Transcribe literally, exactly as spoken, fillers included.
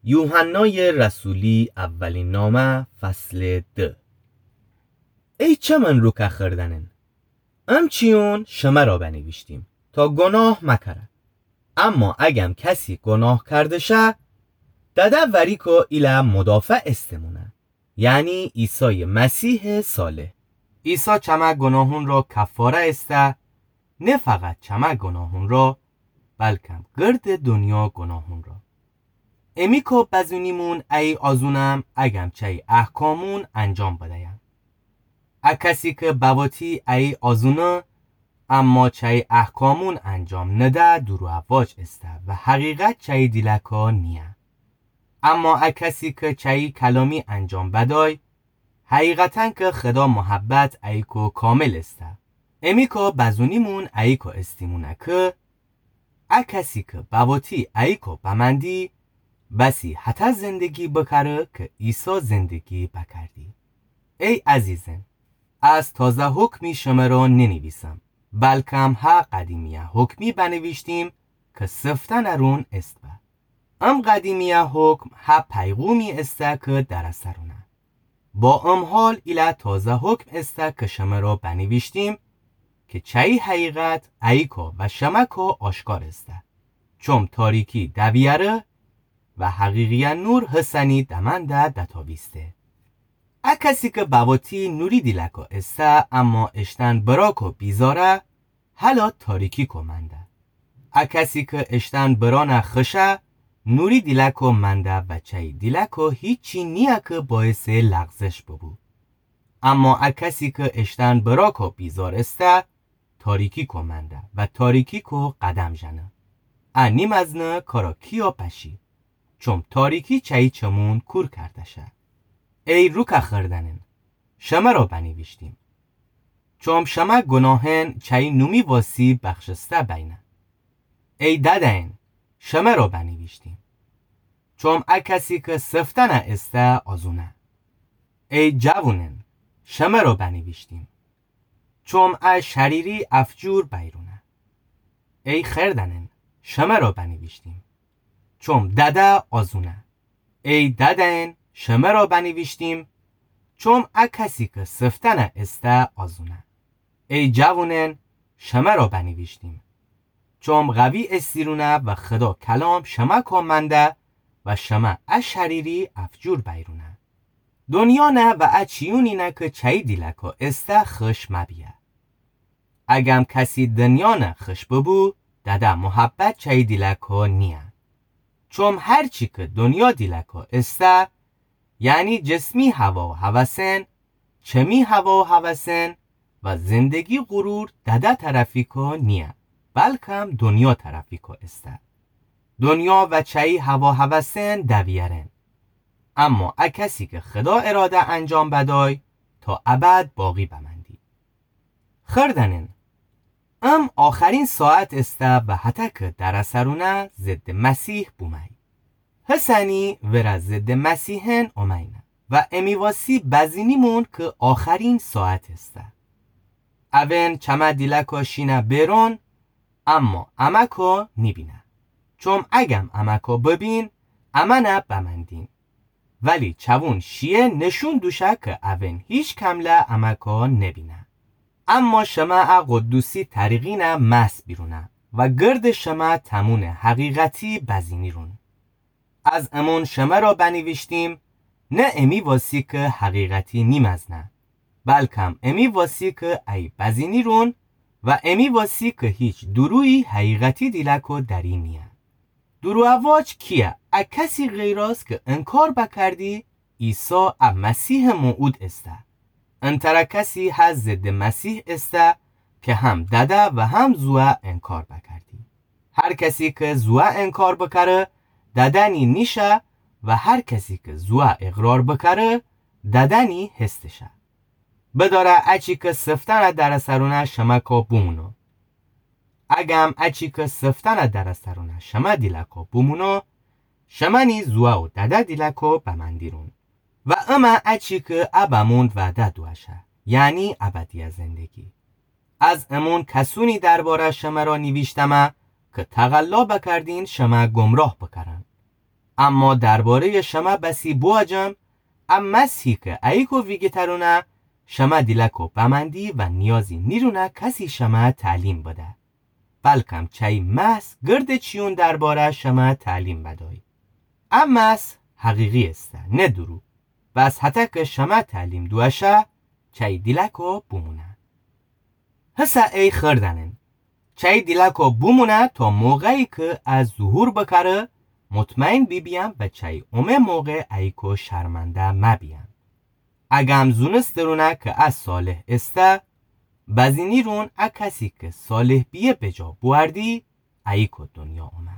یوحنای رسولی، اولین نامه، فصل دو. ای چمن روکه خوردنین، امچیون شمه را بنیویشتیم تا گناه مکره. اما اگم کسی گناه کرده شه، دده وریکو ایله مدافع استمونه، یعنی عیسای مسیح صالح. عیسی چمه گناهون را کفاره استه، نه فقط چمه گناهون را، بلکم گرد دنیا گناهون را. امیکو بزونیمون ای آزونم اگم چی احکامون انجام بدیم. ا کسی که بواتی ای آزونه، اما چی احکامون انجام نده، دورواج استه و حقیقت چی دیلکو نیه. اما ا کسی که چی کلامی انجام بدای، حقیقتاً که خدا محبت ایکو کامل استه. امیکو بزونیمون ایکو استیمونه که ا کسی که بواتی ایکو بمندی، بسی هته زندگی بکره که عیسی زندگی بکردی. ای عزیزن، از تازه حکمی شمه را ننویسم، بلکم ها قدیمیه حکمی بنویشتیم که سفتن رون است به. ام قدیمیه حکم ها پیغومی استه که در سرونه. با ام حال ایله تازه حکم استه که شمه را بنویشتیم که چی حقیقت ایکو و شمکو آشکار استه. چوم تاریکی دویره و حقیقیه نور هسنی دمنده دتاویسته. ا کسی که بواتی نوری دیلکو استه، اما اشتن براکو بیزاره، هلا تاریکیکو منده. ا کسی که اشتن برانه خشه، نوری دیلکو منده و چی دیلکو هیچی نیه که باعث لغزش ببو. اما ا کسی که اشتن براکو بیزار استه، تاریکیکو منده و تاریکیکو قدم ژنه. ا نیمزنه کارا کیو پشی، چوم تاریکی چی چمون کور کرده شه. ای روکه خوردنین، شمه را بنویشتیم، چوم شمه گناهن چی نومی واسی بخشسته بینه. ای دده‌ین، شمه را بنویشتیم، چوم ا کسی که سفتنه استه آزونه. ای جوونن، شمه را بنویشتیم، چوم ا شریری افجور بیرونه. ای خوردنن، شمه را بنویشتیم، چوم دده آزونه. ای دده‌ین، شمه را بنویشتیم، چوم ا کسی که سفتنه استه آزونه. ای جوونن، شمه را بنویشتیم، چوم قوی استیرونه و خدا کلام شمکو منده و شمه ا شریری افجور بیرونه. دنیا نه و ا چیونی نه که چی دیلکو استه خش مبیه. اگم کسی دنیا نه خش ببو، دده محبت چی دیلکو نیه. چوم هر چی که دنیا دیلکو استه، یعنی جسمی هوا و هوسن، چمی هوا و هوسن و زندگی غرور دده طرفیکو نیه، بلکم دنیا طرفیکو استه. دنیا و چی هوا و هوسن دویرن. اما ا کسی که خدا اراده انجام بدای، تا ابد باقی بمندی. خوردنین، ام آخرین ساعت استه و هتک در سرونه ضد مسیح بومی. هسنی وره ضد مسیحن اومینه و امی واسی بزینیمون که آخرین ساعت استه. اون چمه دیلکو شینه بیرون، اما امکو نیبینه. چوم اگم امکو ببین، امنه بمندین. ولی چوون شیه نشون دوشه که اون هیچ کمله امکو نبینه. اما شمه ا قدوسی طریقینه محض بیرونه و گرد شمه تمون حقیقتی بزینیرون. از امون شمه را بنیویشتیم، نه امی واسی که حقیقتی نیمزنه، بلکم امی واسی که ای بزینیرون و امی واسی که هیچ دورویی حقیقتی دیلکو دری نیه. دورواواج کیه؟ ا کسی غیراز که انکار بکردی عیسی ا مسیح موعود استه. انتره کسی هه ضد مسیح استه که هم دده و هم زوه انکار بکردی. هر کسی که زوه انکار بکره، دده‌نی نیشه و هر کسی که زوه اقرار بکره، دده‌نی هستشه. بداره اچی که سفتنه در سرونه شمکو بومونو. اگم اچی که سفتنه در سرونه شمه دیلکو بومونو، شمنی زوه و دده دیلکو بمندیرون. و امه اچی که ا بموند وعده دوشه، یعنی ابدی زندگی. از امون کسونی درباره شمه را نیویشتمه که تقلا بکردین شمه گمراه بکرن. اما درباره‌یٚ شمه بسی بوأجم، ا مسیحی کی ایکو ویگیترونه، شمه دیلأکو بمأندی و نیازی نیرونه کسی شمه تعلیم بده. بلکم چأیی محض گردٚ چیون درباره شمه تعلیم بدأی. ا محض حقیقی ایسه، نه دورو. بس هطه کی شمه تعلیم دوأشه، چأیی دیلأکو بومونه. هسه ای خوأردأنٚن، چأیی دیلأکو بومونه تا موقعی کی ا ظهور بکره، مطمئن بیبیین و چأیی اومه موقع ایکو شرمنده مبیین. اگم زونسترونه کی ا صالح ایسه، بزینیرون ا کسی کی صالح بیه بجا بوأردی، ایکو دونیا اومه.